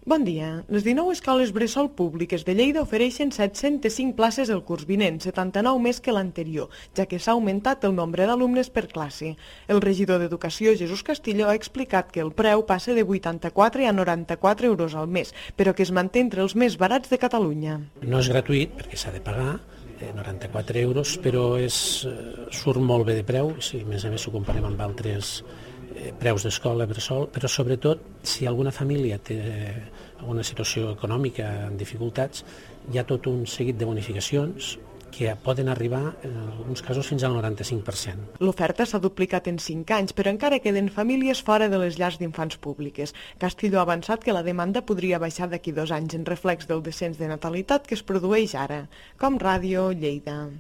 Bon dia. Les 19 escoles bressol públiques de Lleida ofereixen 705 places el curs vinent, 79 més que l'anterior, ja que s'ha augmentat el nombre d'alumnes per classe. El regidor d'Educació, Jesús Castillo, ha explicat que el preu passa de 84 a 94 euros al mes, però que es manté entre els més barats de Catalunya. No és gratuït, perquè s'ha de pagar, 94 euros, però surt molt bé de preu, si a més ho comparem amb altres preus d'escola bressol, però sobretot si alguna família té alguna situació econòmica en dificultats, hi ha tot un seguit de bonificacions que poden arribar en alguns casos fins al 95%. L'oferta s'ha duplicat en 5 anys, però encara queden famílies fora de les llars d'infants públiques. Castillo ha avançat que la demanda podria baixar d'aquí 2 anys en reflex del descens de natalitat que es produeix ara. Com Ràdio, Lleida.